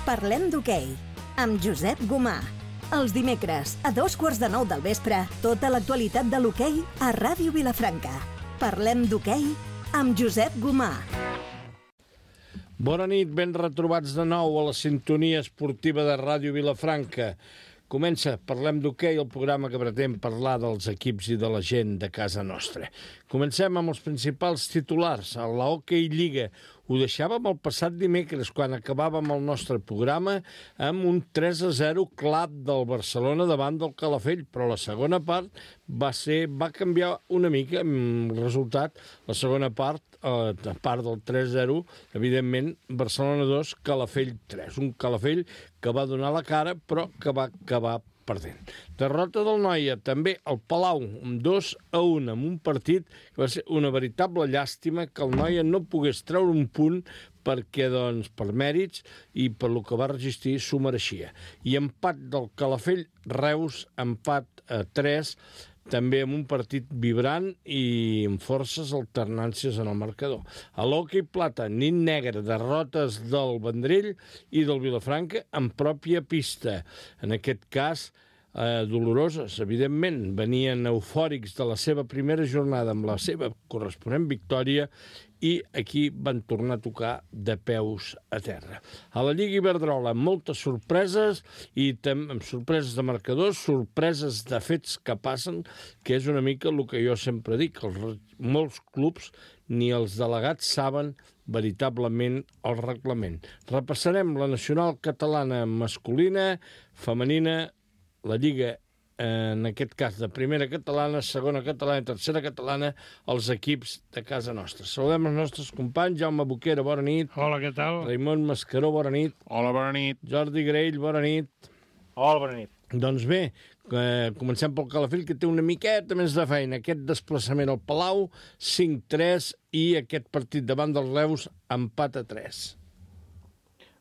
Parlem d'hoquei, amb Josep Gomà. Els dimecres, a 8:45 del vespre, tota l'actualitat de l'hoquei a Ràdio Vilafranca. Parlem d'hoquei amb Josep Gomà. Bona nit, ben retrobats de nou a la sintonia esportiva de Ràdio Vilafranca. Comença Parlem d'hoquei, el programa que pretén parlar dels equips i de la gent de casa nostra. Comencem amb els principals titulars. A la Hockey Lliga ho deixàvem el passat dimecres, quan acabàvem el nostre programa amb un 3-0 clar del Barcelona davant del Calafell, però la segona part va canviar una mica el resultat. La segona part, a part del 3-0, evidentment, Barcelona 2, Calafell 3. Un Calafell que va donar la cara, però que va acabar perdent. Derrota del Noia, també al Palau, amb 2-1, amb un partit que va ser una veritable llàstima que el Noia no pogués treure un punt perquè, doncs, per mèrits i per lo que va resistir, s'ho mereixia. I empat del Calafell, Reus, empat a 3, també amb un partit vibrant i amb forces alternàncies en el marcador. A l'hoquei plata, nit negra, derrotes del Vendrell i del Vilafranca en pròpia pista. En aquest cas, doloroses, evidentment. Venien eufòrics de la seva primera jornada amb la seva corresponent victòria i aquí van tornar a tocar de peus a terra. A la Lliga Iberdrola, moltes sorpreses i amb sorpreses de marcadors, sorpreses de fets que passen, que és una mica el que jo sempre dic, que molts clubs ni els delegats saben veritablement el reglament. Repassarem la nacional catalana masculina, femenina, la Lliga, en aquest cas de primera catalana, segona catalana i tercera catalana, els equips de casa nostra. Saludem els nostres companys. Jaume Boquera, bona nit. Hola, què tal? Raimon Mascaró, bona nit. Hola, bona nit. Jordi Graell, bona nit. Hola, bona nit. Doncs bé, comencem pel Calafell, que té una miqueta més de feina. Aquest desplaçament al Palau, 5-3, i aquest partit davant dels Reus, empat a 3.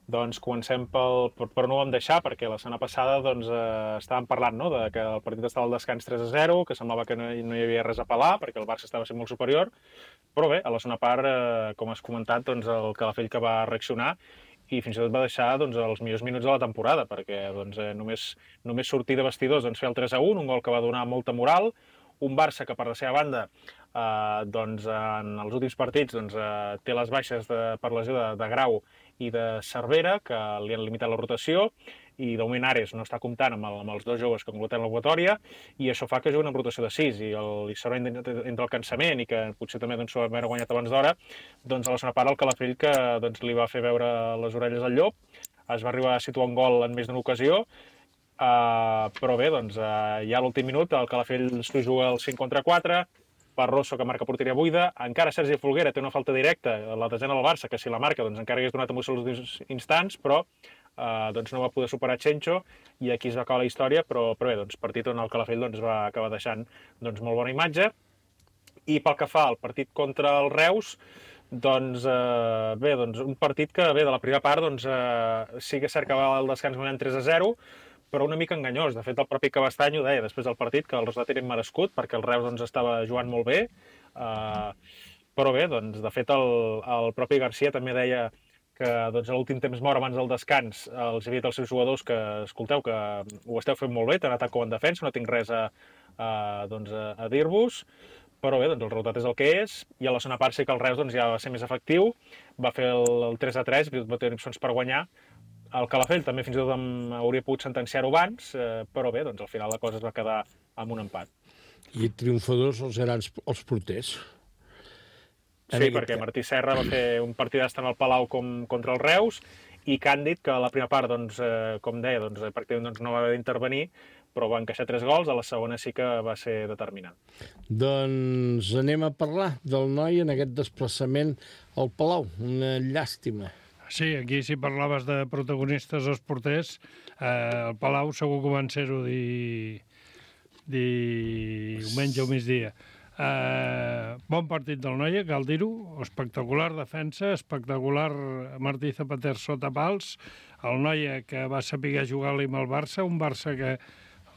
Doncs comencem per no ho vam deixar, perquè la setmana passada doncs, estàvem parlant, no?, de que el partit estava al descans 3-0, que semblava que no hi havia res a pelar, perquè el Barça estava sent molt superior, però bé, a la segona part, com has comentat, doncs, el Calafell que va reaccionar i fins i tot va deixar doncs, els millors minuts de la temporada, perquè doncs, només sortir de vestidors doncs, fer el 3-1, un gol que va donar molta moral, un Barça que per la seva banda doncs, en els últims partits doncs, té les baixes per lesió de Grau i de Cervera, que li han limitat la rotació, i de moment Ares no està comptant amb els dos joves que completen la convocatòria, i això fa que juguen amb rotació de 6, i serà entre el cansament i que potser també doncs, s'ho va haver guanyat abans d'hora, doncs a la segona part el Calafell que doncs, li va fer veure les orelles al llop, es va arribar a situar un gol en més d'una ocasió, però bé, doncs, ja a l'últim minut el Calafell s'ho juga el 5 contra 4, Barroso que marca porteria buida, encara Sergi Folguera té una falta directa a la desena del Barça, que si la marca doncs, encara hagués donat emoció als últims instants, però doncs, no va poder superar Chencho, i aquí es va acabar la història, però bé, doncs, partit on el Calafell doncs, va acabar deixant doncs, molt bona imatge. I pel que fa al partit contra el Reus, doncs, bé, doncs, un partit que bé, de la primera part doncs, sí que s'acabava el descans guanyant 3-0, però una mica enganyós. De fet, el propi Cabestany ho deia després del partit, que el resultat era immerescut, perquè el Reus doncs, estava jugant molt bé, però bé, doncs, de fet, el propi Garcia també deia que doncs, a l'últim temps mort abans del descans els havia dit als seus jugadors que, escolteu, que ho esteu fent molt bé, tant atac com en defensa, no tinc res doncs, a dir-vos, però bé, doncs, el resultat és el que és, i a la segona part sí que el Reus doncs, ja va ser més efectiu, va fer el 3-3, va tenir opcions per guanyar. El Calafell també fins i tot hauria pogut sentenciar-ho abans, però bé, doncs al final la cosa es va quedar amb un empat. I triomfadors els grans, els porters. Sí, perquè Martí Serra va fer un partidàs tant al Palau com contra el Reus, i Càndid, que a la primera part, doncs, com deia, doncs, pràcticament doncs, no va haver d'intervenir, però va encaixar 3 gols, a la segona sí que va ser determinant. Doncs anem a parlar del noi en aquest desplaçament al Palau, una llàstima. Sí, aquí si parlaves de protagonistes els porters, el Palau segur que van ser-ho diumenge o migdia. Bon partit del Noia, cal dir-ho, espectacular defensa, espectacular Martí Zapater sota pals, el Noia que va saber jugar-li amb el Barça, un Barça que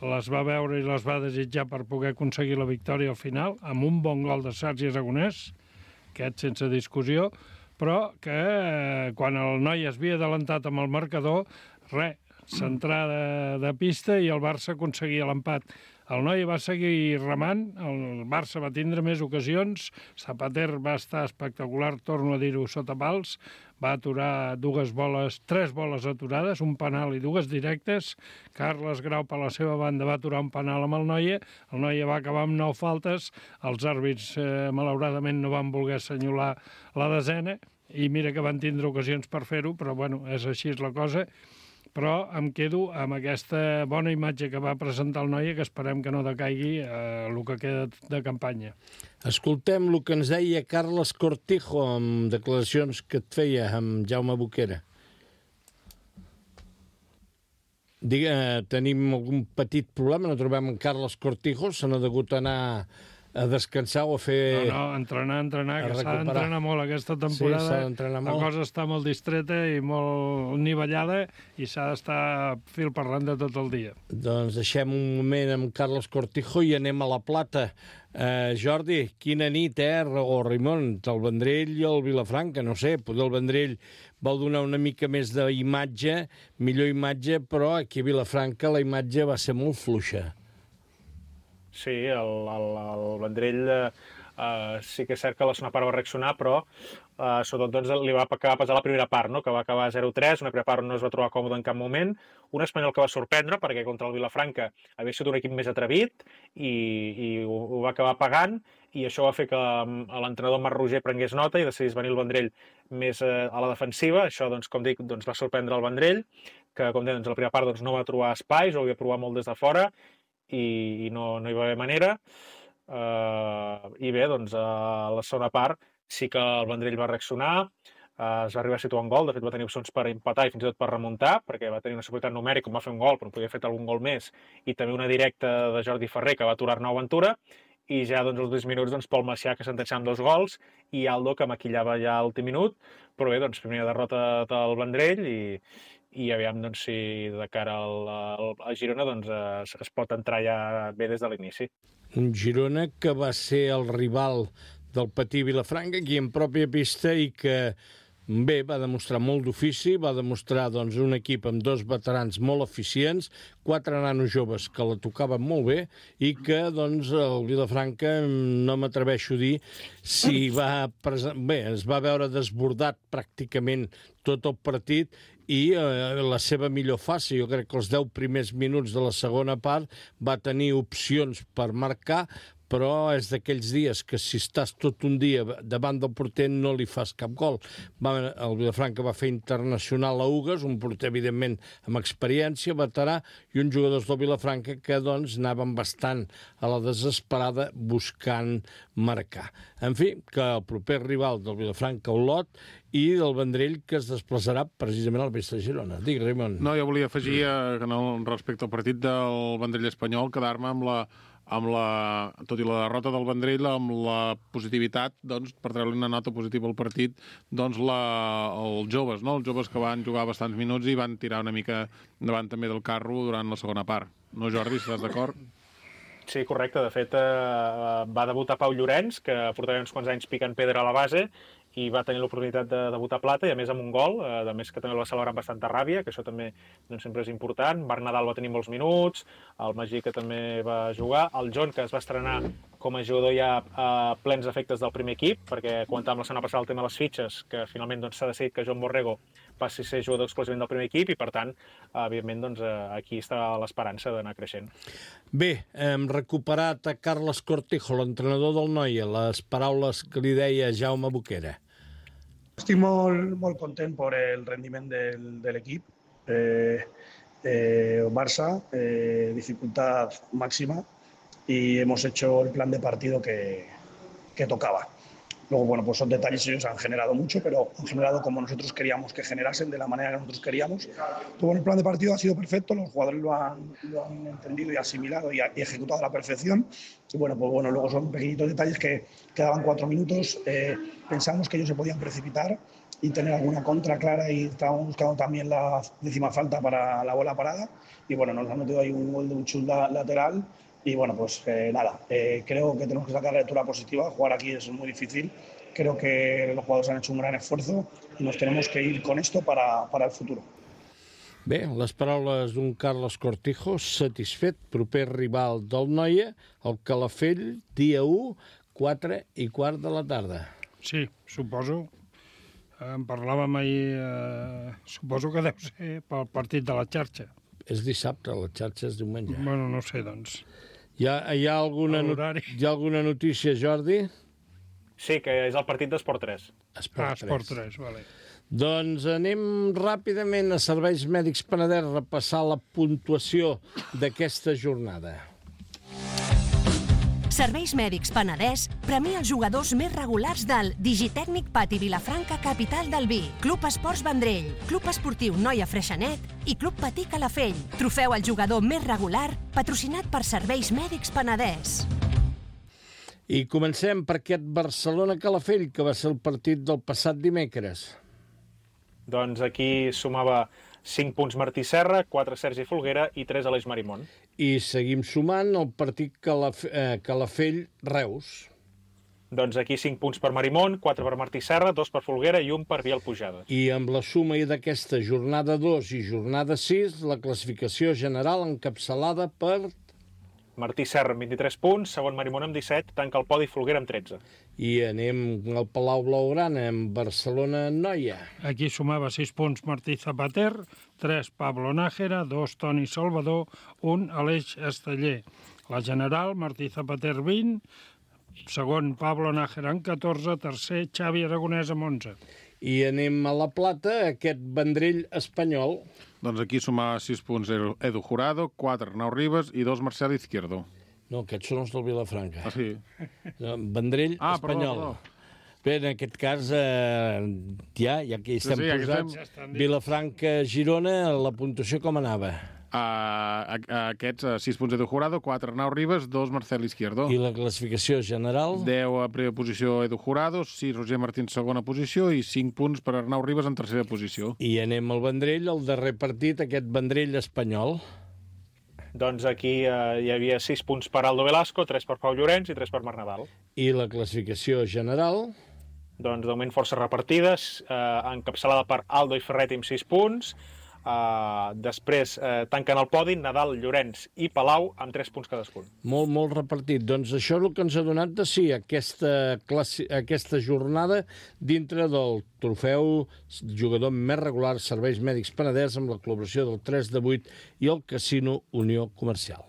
les va veure i les va desitjar per poder aconseguir la victòria al final, amb un bon gol de Sergi Aragonès, aquest sense discussió, però que quan el noi es havia adelantat amb el marcador, centrada de pista i el Barça aconseguia l'empat. El noi va seguir remant, el Barça va tindre més ocasions, Zapater va estar espectacular, torno a dir-ho, sota pals, va aturar tres boles aturades, un penal i dues directes. Carles Grau, per la seva banda, va aturar un penal amb el Noia va acabar amb 9 faltes, els àrbits malauradament no van voler assenyalar la desena, i mira que van tindre ocasions per fer-ho, però bueno, és així la cosa. Però em quedo amb aquesta bona imatge que va presentar el Noia, que esperem que no decaigui el que queda de campanya. Escoltem el que ens deia Carles Cortijo amb declaracions que et feia amb Jaume Boquera. Tenim algun petit problema, no trobem en Carles Cortijo, se n'ha degut anar a descansar o a fer... No, entrenar, que s'ha d'entrenar molt aquesta temporada. Sí, s'ha d'entrenar molt. La cosa està molt distreta i molt nivellada i s'ha d'estar fil parlant de tot el dia. Doncs deixem un moment amb Carles Cortijo i anem a La Plata. Jordi, quina nit, o Raimon, el Vendrell i el Vilafranca, no sé, potser el Vendrell vau donar una mica més d'imatge, millor imatge, però aquí a Vilafranca la imatge va ser molt fluixa. Sí, el Vendrell sí que és cert que la segona part va reaccionar, però sobretot doncs, li va acabar pesar la primera part, no? Que va acabar 0-3, una primera part on no es va trobar còmode en cap moment, un Espanyol que va sorprendre perquè contra el Vilafranca havia estat un equip més atrevit i ho va acabar pagant, i això va fer que l'entrenador Marc Roger prengués nota i decidís venir el Vendrell més a la defensiva. Això, doncs, com dic, doncs, va sorprendre el Vendrell, que com deia, doncs, la primera part doncs, no va trobar espais, ho havia provat molt des de fora, i no hi va haver manera. I bé, doncs, a la segona part sí que el Vendrell va reaccionar, es va arribar a situar un gol, de fet va tenir opcions per empatar i fins i tot per remuntar, perquè va tenir una superioritat numèrica, va fer un gol, però podia haver fet algun gol més, i també una directa de Jordi Ferrer, que va aturar Arnau Ventura, i ja doncs, als 10 minuts doncs, Pol Macià, que sentenciava amb 2 gols, i Aldo, que maquillava ja a l'últim minut, però bé, doncs, primera derrota del Vendrell, i aviam doncs, si de cara a Girona doncs, es pot entrar ja bé des de l'inici. Un Girona que va ser el rival del Patí Vilafranca aquí en pròpia pista i que bé, va demostrar molt d'ofici, va demostrar doncs, un equip amb 2 veterans molt eficients, 4 nanos joves que la tocaven molt bé i que doncs, el Vilafranca, no m'atreveixo a dir si es va veure desbordat pràcticament tot el partit i la seva millor fase. Jo crec que els 10 primers minuts de la segona part va tenir opcions per marcar, però és d'aquells dies que si estàs tot un dia davant del porter no li fas cap gol. El Vilafranca va fer internacional a Ugues, un porter, evidentment, amb experiència, veterà, i uns jugadors del Vilafranca que doncs, anaven bastant a la desesperada buscant marcar. En fi, que el proper rival del Vilafranca, Olot, i del Vendrell, que es desplaçarà precisament al Vista Girona. Digue, Raimon. No, jo volia afegir, respecte al partit del Vendrell espanyol, quedar-me tot i la derrota del Vendrell, amb la positivitat, doncs, per treure una nota positiva al partit, doncs, els joves, no? Els joves que van jugar bastants minuts i van tirar una mica davant també del carro durant la segona part. No, Jordi, estàs d'acord? Sí, correcte. De fet, va debutar Pau Llorenç, que portava uns quants anys picant pedra a la base, i va tenir l'oportunitat de debutar plata, i a més amb un gol, a més que també el va celebrar amb bastanta ràbia, que això també doncs, sempre és important. Marc Nadal va tenir molts minuts, el Magí, que també va jugar, el John, que es va estrenar com a jugador ja a plens efectes del primer equip, perquè comentàvem la setmana passada el tema de les fitxes, que finalment doncs, s'ha decidit que Joan Borrego passi a ser jugador exclusivament del primer equip, i per tant, evidentment, doncs, aquí està l'esperança d'anar creixent. Bé, hem recuperat a Carles Cortijo, l'entrenador del Noia, les paraules que li deia Jaume Boquera. Estic molt content per el rendiment de l'equip. Barça, dificultad máxima, y hemos hecho el plan de partido que tocaba. Luego, bueno, pues son detalles, ellos han generado mucho, pero han generado como nosotros queríamos que generasen, de la manera que nosotros queríamos. Pero bueno, el plan de partido ha sido perfecto, los jugadores lo han entendido y asimilado y ejecutado a la perfección. Y bueno, pues bueno, luego son pequeñitos detalles que quedaban 4 minutos. Pensamos que ellos se podían precipitar y tener alguna contra clara, y estábamos buscando también la 10ª falta para la bola parada. Y bueno, nos han metido ahí un gol de un chut lateral. Y bueno, pues nada, creo que tenemos que sacar la lectura positiva. Jugar aquí es muy difícil, creo que los jugadores han hecho un gran esfuerzo y nos tenemos que ir con esto para el futuro. Bé, les paraules d'un Carlos Cortijo, satisfet, proper rival del Noia, el Calafell, dia 1, 4:15 de la tarda. Sí, suposo. En parlàvem ahir, suposo que deu ser pel partit de la xarxa. És dissabte, la xarxa és diumenge. Bueno, no sé, doncs. Hi ha alguna notícia, Jordi? Sí, que és el partit d'Esport 3. Esport 3, vale. Doncs anem ràpidament a Serveis Mèdics Penedès a repassar la puntuació d'aquesta jornada. Serveis Mèdics Penedès premia els jugadors més regulars del Digitècnic Pati Vilafranca, capital del vi, Club Esports Vendrell, Club Esportiu Noia Freixenet i Club Patí Calafell. Trofeu al jugador més regular, patrocinat per Serveis Mèdics Penedès. I comencem per aquest Barcelona-Calafell, que va ser el partit del passat dimecres. Doncs aquí sumava 5 punts Martí Serra, 4 Sergi Folguera i 3 Aleix Marimón. I seguim sumant el partit Calafell-Reus. Doncs aquí 5 punts per Marimón, 4 per Martí Serra, 2 per Folguera i 1 per Biel Pujades. I amb la suma d'aquesta jornada 2 i jornada 6, la classificació general encapçalada per... Martí Serra amb 23 punts, segon Marimón amb 17, tanca el podi Folguera amb 13. I anem al Palau Blaugrana, amb Barcelona-Noia. Aquí sumava 6 punts Martí Zapater, 3 Pablo Nájera, 2 Toni Salvador, 1 Aleix Esteller. La general, Martí Zapater 20, segon Pablo Nájera amb 14, tercer Xavi Aragonès amb 11. I anem a La Plata, aquest Vendrell espanyol. Doncs aquí sumava 6 punts Edu Jurado, 4 Arnau Ribas i 2 Marcel Izquierdo. No, aquests són els del Vilafranca. Ah, sí? Vendrell espanyol. Perdó. Bé, en aquest cas, ja que hi estem posats, Vilafranca-Girona, la puntuació com anava? Aquests 6 punts Edu Jurado, 4 Arnau Ribas, 2 Marcel Izquierdo. I la classificació general? 10 a primera posició Edu Jurado, 6 Roger Martín segona posició i 5 punts per Arnau Ribas en tercera posició. I anem al Vendrell, el darrer partit, aquest Vendrell espanyol. Doncs aquí hi havia 6 punts per Aldo Velasco, 3 per Pau Llorenç i 3 per Marc Nadal. I la classificació general? Doncs de moment força repartides, encapçalada per Aldo i Ferret amb 6 punts. Després tanquen el podi Nadal, Llorenç i Palau amb 3 punts cadascun. Molt repartit. Doncs això és el que ens ha donat de sí aquesta jornada dintre del trofeu jugador més regular Serveis Mèdics Penedès amb la col·laboració del 3 de 8 i el Casino Unió Comercial.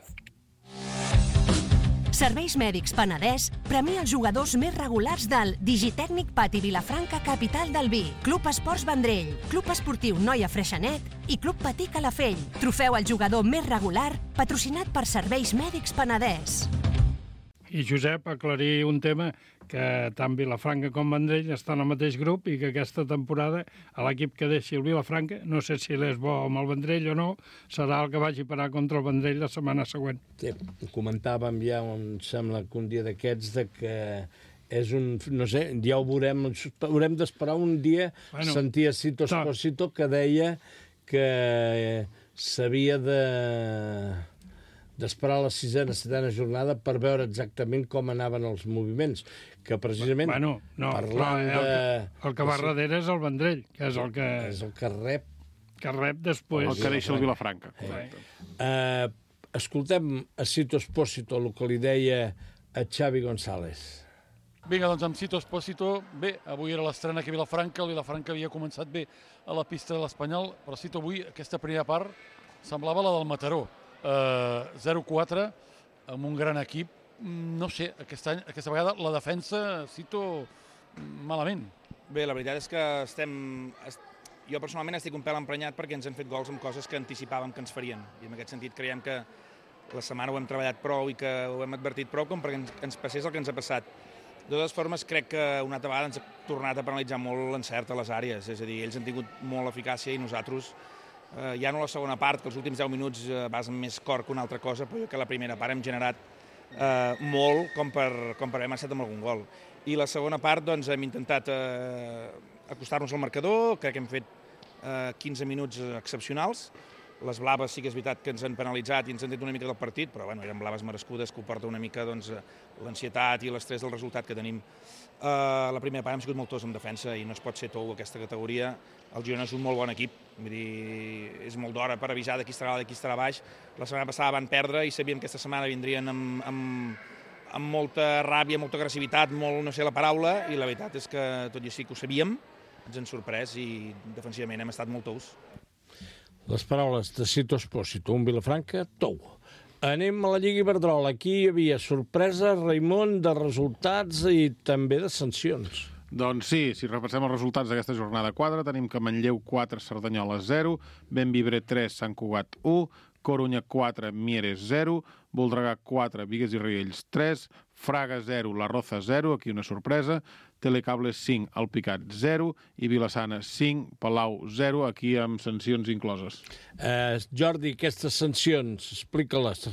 Serveis Mèdics Penedès premia els jugadors més regulars del Digitècnic Pati Vilafranca, capital del vi, Club Esports Vendrell, Club Esportiu Noia Freixenet i Club Patí Calafell. Trofeu al jugador més regular, patrocinat per Serveis Mèdics Penedès. I, Josep, aclarir un tema, que tant Vilafranca com Vendrell estan al mateix grup i que aquesta temporada l'equip que deixi el Vilafranca, no sé si l'és bo amb el Vendrell o no, serà el que vagi a parar contra el Vendrell la setmana següent. Sí, comentàvem ja, em sembla que un dia d'aquests, de que és un... no sé, ja ho veurem, haurem d'esperar un dia, sentir a Cito Esposito que deia que s'havia d'esperar la 6ª, 7ª jornada per veure exactament com anaven els moviments, que precisament parlant el que va darrere és el Vendrell, que és el que... És el que rep. Que rep després. El que deixa el Vilafranca. Escoltem a Cito Esposito, el que li deia a Xavi González. Vinga, doncs amb Cito Esposito, bé, avui era l'estrena aquí a Vilafranca, el Vilafranca havia començat bé a la pista de l'Espanyol, però Cito avui, aquesta primera part, semblava la del Mataró. 0-4 amb un gran equip. No sé, aquesta vegada la defensa, Cito, malament. Bé, la veritat és que jo personalment estic un pèl emprenyat perquè ens han fet gols amb coses que anticipàvem que ens farien. I en aquest sentit creiem que la setmana ho hem treballat prou i que ho hem advertit prou com perquè ens passés el que ens ha passat. De totes formes, crec que una altra vegada ens ha tornat a penalitzar molt l'encert a les àrees. És a dir, ells han tingut molt eficàcia i nosaltres ja no la segona part, que els últims 10 minuts vas amb més cor que una altra cosa, però jo que la primera part hem generat molt com per haver marxat amb algun gol. I la segona part doncs, hem intentat acostar-nos al marcador, crec que hem fet 15 minuts excepcionals, Les blaves sí que és veritat que ens han penalitzat i ens han tret una mica del partit, però bueno, eren blaves merescudes que ho porta una mica l'ansietat i l'estrès del resultat que tenim. La primera part hem sigut molt tos en defensa i no es pot ser tou aquesta categoria. El Girona és un molt bon equip, vull dir, és molt d'hora per avisar de qui estarà dalt i qui estarà baix. La setmana passada van perdre i sabien que aquesta setmana vindrien amb molta ràbia, molta agressivitat, molt no sé la paraula, i la veritat és que tot i així que ho sabíem, ens han sorprès i defensivament hem estat molt tous. Les paraules de Cito Espósito, un Vilafranca, tou. Anem a la Lliga Iberdrola. Aquí hi havia sorpresa, Raimon, de resultats i també de sancions. Doncs sí, si repassem els resultats d'aquesta jornada 4, tenim que Manlleu 4, Cerdanyola 0, Bembibre 3, Sant Cugat 1, Corunya 4, Mieres 0, Voltregà 4, Bigues i Riells 3, Fraga 0, La Roza 0, aquí una sorpresa, Telecables 5, Alpicat 0 i Vilassana 5, Palau 0, aquí amb sancions incloses. Jordi, aquestes sancions, explica-les.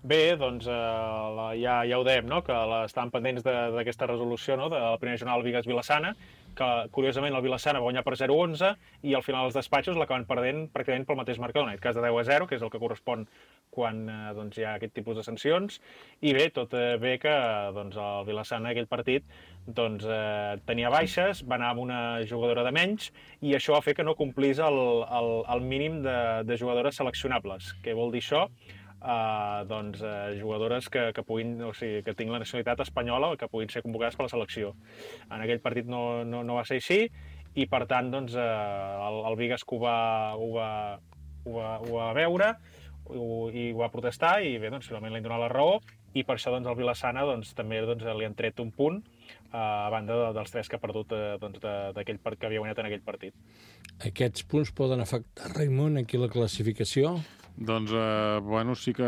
Bé, doncs ja ho dèiem, no? Que estàvem pendents d'aquesta resolució, no? De la primera jornada del Bigues-Vilassana, que curiosament el Vilassana va guanyar per 0-11 i al final els despatxos l'acaben perdent pràcticament pel mateix marcador, en aquest cas de 10-0, que és el que correspon quan doncs, hi ha aquest tipus de sancions. I bé, tot bé que doncs, el Vilassana, aquell partit, doncs, tenia baixes, va anar amb una jugadora de menys i això va fer que no complís el mínim de jugadores seleccionables. Què vol dir això? Doncs, jugadores que puguin, o sigui, que tinguin la nacionalitat espanyola o que puguin ser convocades per la selecció. En aquell partit no va ser així i, per tant, doncs, el Bigues ho va veure i ho va protestar i bé, doncs, finalment li han donat la raó i per això doncs, el Vilassana doncs, també doncs, li han tret un punt a banda dels 3 que ha perdut doncs, d'aquell part que havia guanyat en aquell partit. Aquests punts poden afectar, Raimon, aquí la classificació? Doncs, bueno, sí que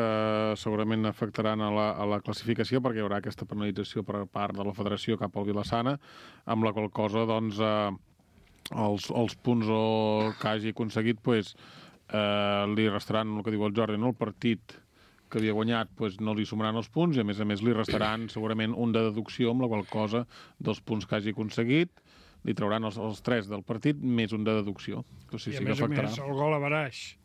segurament afectaran a la classificació perquè hi haurà aquesta penalització per part de la federació cap al Vilassana, amb la qual cosa, doncs, els punts que hagi aconseguit, pues, li restaran, el que diu el Jordi, no? El partit que havia guanyat pues, no li sumaran els punts i, a més li restaran segurament un de deducció, amb la qual cosa dels punts que hagi aconseguit li trauran els 3 del partit més un de deducció. O sigui, I, a més, el gol a baraix.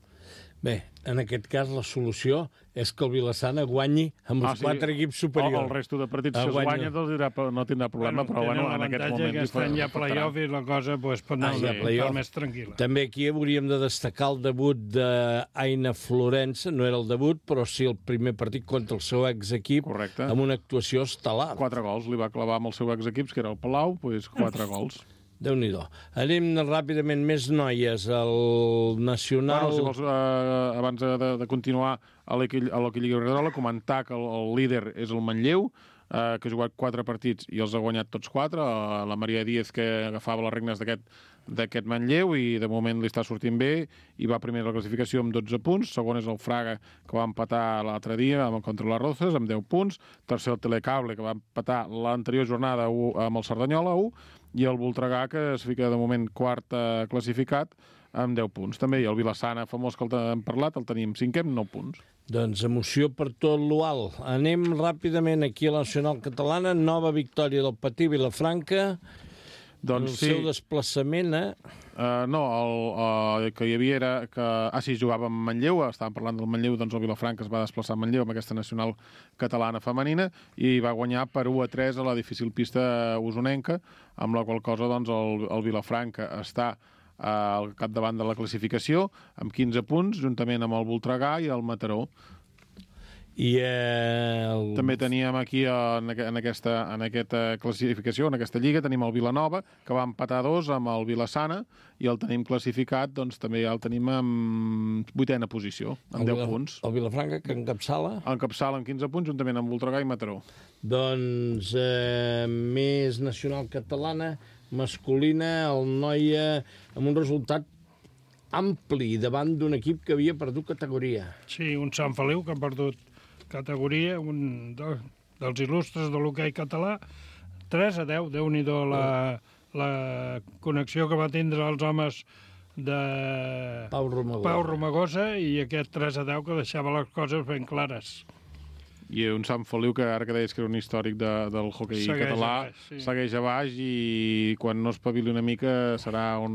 Bé, en aquest cas la solució és que el Vilassana guanyi amb els 4 equips superiors. El resto de partits que es guanya no tindrà problema, però en aquests moments... Aquest any hi ha play-off i la cosa pues, pot anar més tranquil·la. També aquí hauríem de destacar el debut d'Aina Florença, no era el debut, però sí el primer partit contra el seu exequip, amb una actuació estel·lar. 4 gols, li va clavar amb el seu exequip, que era el Palau, pues 4 gols. Déu-n'hi-do. Anem ràpidament més noies. El Nacional... Bueno, si vols, abans de continuar a l'Hockey Lliga Iberdrola, comentar que el líder és el Manlleu, que ha jugat 4 partits i els ha guanyat tots 4. La Maria Díez, que agafava les regnes d'aquest Manlleu i de moment li està sortint bé i va primer a la classificació amb 12 punts. Segon és el Fraga, que va empatar l'altre dia contra les Rozas amb 10 punts. Tercer el Telecable, que va empatar l'anterior jornada amb el Cerdanyola 1. I el Voltregà, que es fica de moment quart classificat amb 10 punts. També hi ha el Vilassana, famós que hem parlat, el tenim 5è amb 9 punts. Doncs emoció per tot l'UAL. Anem ràpidament aquí a la Nacional Catalana. Nova victòria del Patí Vilafranca. Doncs el seu desplaçament, no, el que hi havia era que... sí, jugava amb Manlleu, estàvem parlant del Manlleu, doncs el Vilafranca es va desplaçar a Manlleu amb aquesta nacional catalana femenina i va guanyar per 1-3 a la difícil pista usonenca, amb la qual cosa doncs, el Vilafranca està al capdavant de la classificació amb 15 punts, juntament amb el Voltregà i el Mataró. I també teníem aquí en aquesta classificació, en aquesta lliga, tenim el Vilanova, que va empatar 2 amb el Vilassana, i el tenim classificat, doncs també ja el tenim en 8a posició, amb 10 punts. El Vilafranca, que encapçala? Encapçala amb 15 punts, juntament amb Voltregà i Mataró. Doncs més nacional catalana, masculina, el Noia, amb un resultat ampli davant d'un equip que havia perdut categoria. Sí, un Sant Feliu que ha perdut categoria, un dels il·lustres de l'hoquei català, 3-10, Déu-n'hi-do la connexió que va tindre els homes de Pau Romagosa i aquest 3-10 que deixava les coses ben clares. i un Sant Feliu que ara que deies que era un històric del hoquei català, segueix a baix i quan no espavili una mica serà un,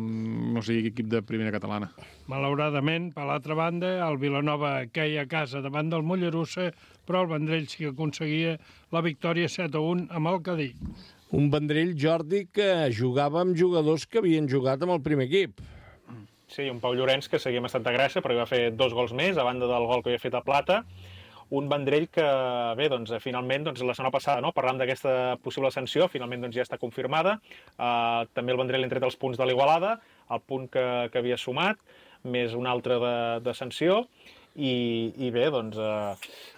no sé, equip de primera catalana. Malauradament, per l'altra banda, el Vilanova queia a casa davant del Mollerussa, però el Vendrell sí que aconseguia la victòria 7-1 amb el Cadí. Un Vendrell, Jordi, que jugava amb jugadors que havien jugat amb el primer equip. Sí, un Pau Llorenç que seguia amb Santa Gràcia perquè va fer 2 gols més a banda del gol que havia fet a Plata. Un Vendrell que, bé, doncs, finalment, doncs, la setmana passada, no, parlant d'aquesta possible sanció, finalment doncs, ja està confirmada. També el Vendrell ha tret els punts de l'Igualada, el punt que havia sumat, més un altre de sanció, i bé, doncs,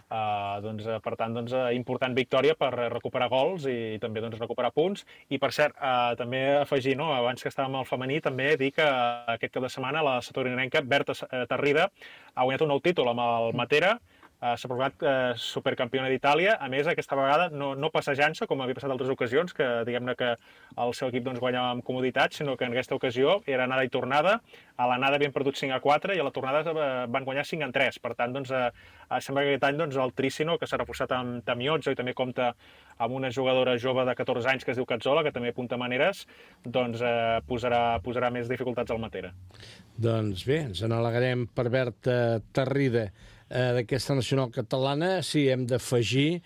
per tant, doncs, important victòria per recuperar gols i també doncs, recuperar punts. I, per cert, també afegir, no, abans que estàvem al femení, també dir que aquest cap de setmana la satorinenca Berta Tarrida ha guanyat un nou títol amb el Matera, s'ha proclamat supercampiona d'Itàlia, a més aquesta vegada no passejant-se com havia passat en altres ocasions, que diguem-ne que el seu equip doncs, guanyava amb comoditat, sinó que en aquesta ocasió era anada i tornada. A l'anada havien perdut 5-4 i a la tornada van guanyar 5-3. Per tant, doncs, sembla que aquest any doncs, el Tricino, que s'ha reforçat amb Tamiozzo i també compta amb una jugadora jove de 14 anys que es diu Cazzola, que també apunta maneres, doncs posarà més dificultats al Matera. Doncs bé, ens n'alegrem per Berta Tarrida d'aquesta nacional catalana. Sí, hem d'afegir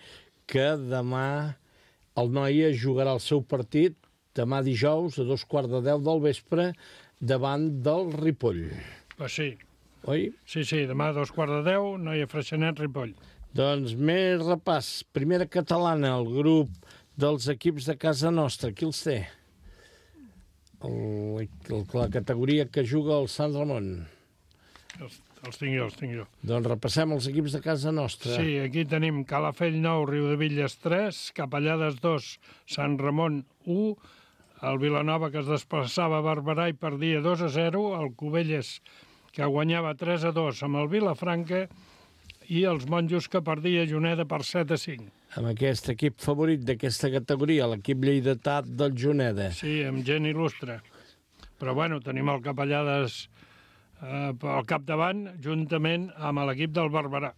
que demà el Noia jugarà el seu partit, demà dijous, a 2:15 del vespre, davant del Ripoll. Pues sí. Oi? Sí, demà a 2:15, Noia Freixenet, Ripoll. Doncs més repàs. Primera catalana, el grup dels equips de casa nostra. Qui els té? La categoria que juga el Sant Ramon. Els tinc jo. Doncs repassem els equips de casa nostra. Sí, aquí tenim Calafell 9, Riudevilles 3, Capellades 2, Sant Ramon 1, el Vilanova que es desplaçava a Barberà i perdia 2-0, el Cubelles que guanyava 3-2 amb el Vilafranca i els Monjos que perdia Juneda per 7-5. Amb aquest equip favorit d'aquesta categoria, l'equip lleidatà del Juneda. Sí, amb gent il·lustre. Però bueno, tenim el Capellades al capdavant, juntament amb l'equip del Barberà.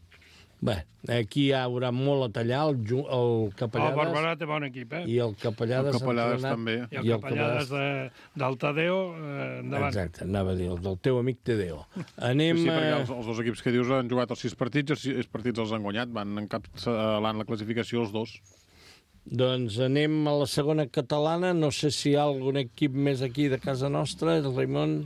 Bé, aquí hi haurà molt a tallar, el Capellades... El Barberà té bon equip, I el Capellades també. I el Capellades del Tadeo, endavant. Exacte, anava a dir, el del teu amic Tadeo. Anem... Sí, perquè els dos equips que dius han jugat els 6 partits, els 6 partits els han guanyat, van encapçalant la classificació els dos. Doncs anem a la segona catalana, no sé si hi ha algun equip més aquí de casa nostra, el Raimon...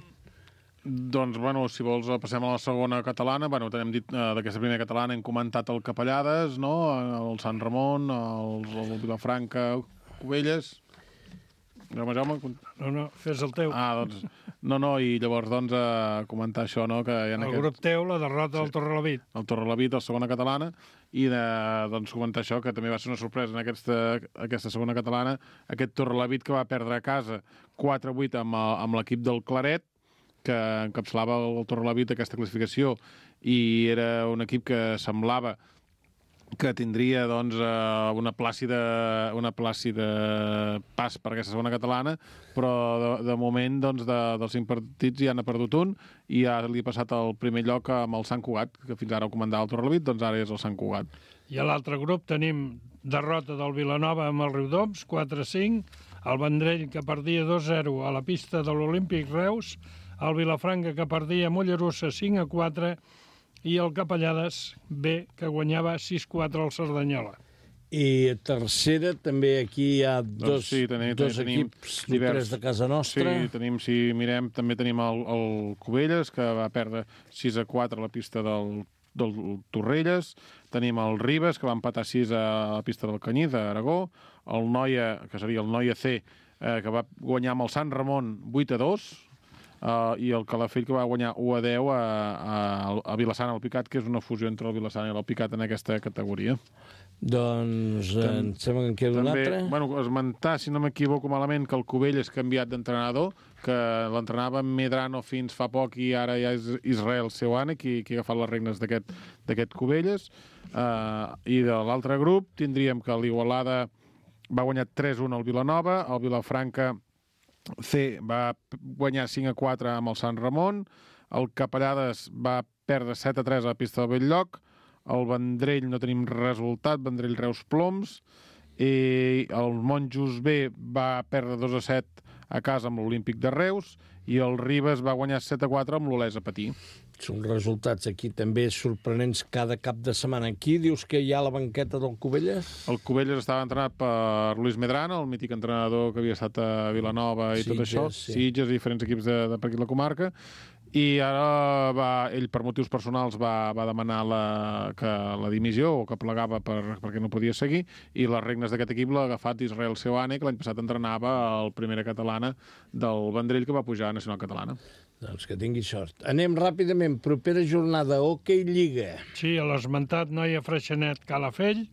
Doncs, bueno, si vols, passem a la segona catalana. Bueno, t'hem dit d'aquesta primera catalana, hem comentat el Capellades, no? El Sant Ramon, el Vilafranca, Cubelles... Jaume? No, fes el teu. Doncs... No, i llavors, doncs, comentar això, no? Que hi ha el grup teu, la derrota del Torrelavit. El Torrelavit, la segona catalana, i doncs comentar això, que també va ser una sorpresa en aquesta segona catalana, aquest Torrelavit que va perdre a casa 4-8 amb l'equip del Claret, que encapçalava el Torrelavit aquesta classificació, i era un equip que semblava que tindria doncs, una plàcida pas per aquesta segona catalana, però de moment doncs, dels 5 partits ja n'ha perdut un i ja li ha passat el primer lloc amb el Sant Cugat, que fins ara ho comandava el Torrelavit, doncs ara és el Sant Cugat. I a l'altre grup tenim derrota del Vilanova amb el Riudoms, 4-5, el Vendrell que perdia 2-0 a la pista de l'Olímpic Reus, el Vilafranca que perdia a Mollerussa 5-4 i el Capellades B que guanyava 6-4 al Cerdanyola. I tercera, també aquí hi ha dos equips divers de casa nostra. Sí, tenim, si mirem, també tenim el Cubelles, que va perdre 6-4 a la pista del Torrelles. Tenim el Ribes, que va empatar 6 a la pista del Canyí, d'Aragó. El Noia, que seria el Noia C, que va guanyar amb el Sant Ramon 8-2. I el Calafell, que va guanyar 1-10 a Vilassana Alpicat, que és una fusió entre el Vilassana i l'Alpicat en aquesta categoria. Doncs em sembla que en queda un altre. Bueno, esmentar, si no m'equivoco malament, que el Cubell és canviat d'entrenador, que l'entrenava Medrano fins fa poc i ara ja és Israel Seuane qui ha agafat les regnes d'aquest Cubelles. I de l'altre grup tindríem que l'Igualada va guanyar 3-1 al Vilanova, el Vilafranca C va guanyar 5-4 amb el Sant Ramon, el Capellades va perdre 7-3 a la pista del Belllloc, El Vendrell no tenim resultat, Vendrell-Reus Ploms, i el Monjos B va perdre 2-7 a casa amb l'Olímpic de Reus, i el Ribes va guanyar 7-4 amb l'Olesa Patí. Són resultats aquí també sorprenents cada cap de setmana. Aquí dius que hi ha la banqueta del Cubelles? El Cubelles estava entrenat per Luis Medrano, el mític entrenador que havia estat a Vilanova i tot això, Sitges i diferents equips de per aquí la comarca, i ara ell, per motius personals, va demanar la dimissió, o que plegava perquè no podia seguir, i les regnes d'aquest equip l'ha agafat Israel Seoane, que l'any passat entrenava el primera catalana del Vendrell, que va pujar a Nacional Catalana. Doncs que tingui sort. Anem ràpidament. Propera jornada, Hockey Lliga. Sí, a l'esmentat Noia Freixenet Calafell,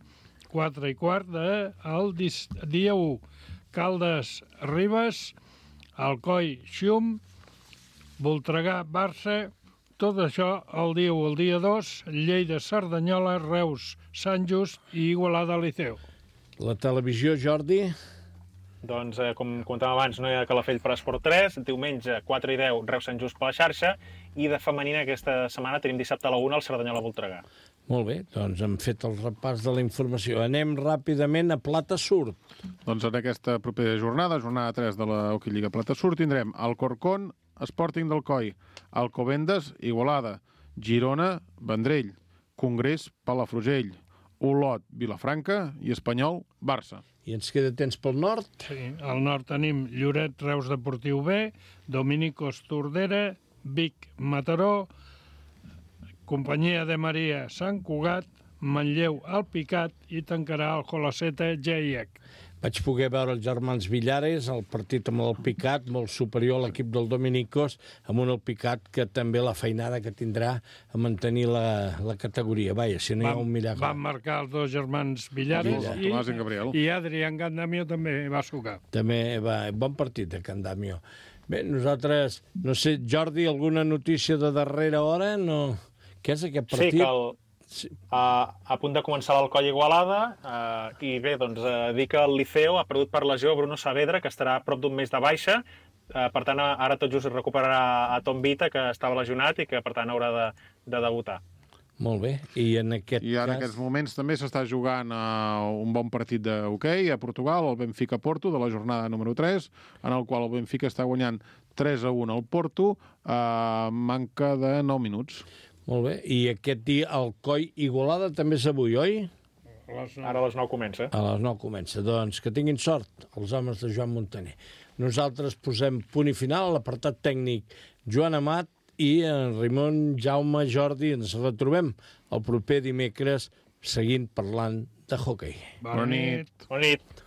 4:15 el dia 1. Caldes Ribes, Alcoi Xum, Voltregà Barça, tot això el dia 1. El dia 2, Lleida Cerdanyola, Reus Sant Just i Igualada Liceu. La televisió, Jordi? Doncs, com comentàvem abans, no hi ha Calafell per Esport 3, diumenge 4:10 Reus Sant Just per la xarxa, i de femenina aquesta setmana tenim dissabte a la 1 el Cerdanyola Voltregà. Molt bé, doncs hem fet el repàs de la informació. Anem ràpidament a Plata Surt. Doncs en aquesta propera jornada 3 de la Hockey Lliga Plata Surt, tindrem Alcorcón, Sporting d'Alcoi, Alcobendas, Igualada, Girona, Vendrell, Congrés, Palafrugell, Olot, Vilafranca i Espanyol, Barça. I ens queda temps pel nord? Sí, al nord tenim Lloret, Reus Deportiu B, Dominicos Tordera, Vic, Mataró, Companyia de Maria, Sant Cugat, Manlleu, Alpicat i tancarà el Jolaceta, GIEC. Vaig poder veure els germans Villares, el partit amb l'Alpicat, molt superior a l'equip del Dominicos, amb un Alpicat que també la feinada que tindrà a mantenir la categoria. Vaja, si no hi ha un miracle. Van marcar els dos germans Villares i Adrián Gandamio també va sucar. També va, bon partit de Gandamio. Bé, nosaltres, no sé, Jordi, alguna notícia de darrera hora? No. Què és aquest partit? Sí, que a punt de començar l'Alcoi Igualada, i bé, doncs dir que el Liceo ha perdut per lesió Bruno Saavedra, que estarà a prop d'un mes de baixa. Per tant, ara tot just recuperarà a Tom Vita, que estava lesionat i que, per tant, haurà de debutar. Molt bé. I en aquests moments també s'està jugant un bon partit d'hoquei a Portugal, el Benfica-Porto, de la jornada número 3, en el qual el Benfica està guanyant 3-1 al Porto, manca de 9 minuts. Molt bé. I aquest dia Alcoi Igualada també és avui, oi? Ara a les 9 comença. A les 9 comença. Doncs que tinguin sort els homes de Joan Montaner. Nosaltres posem punt i final a l'apartat tècnic Joan Amat i en Ramon, Jaume, Jordi. Ens retrobem el proper dimecres seguint parlant de hoquei. Bona nit. Bona nit.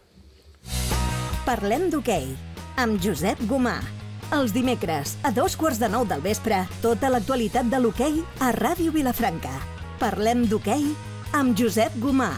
Parlem d'hoquei amb Josep Gomà. Els dimecres, a 8:15 del vespre, tota l'actualitat de l'hoquei a Ràdio Vilafranca. Parlem d'hoquei amb Josep Gomà.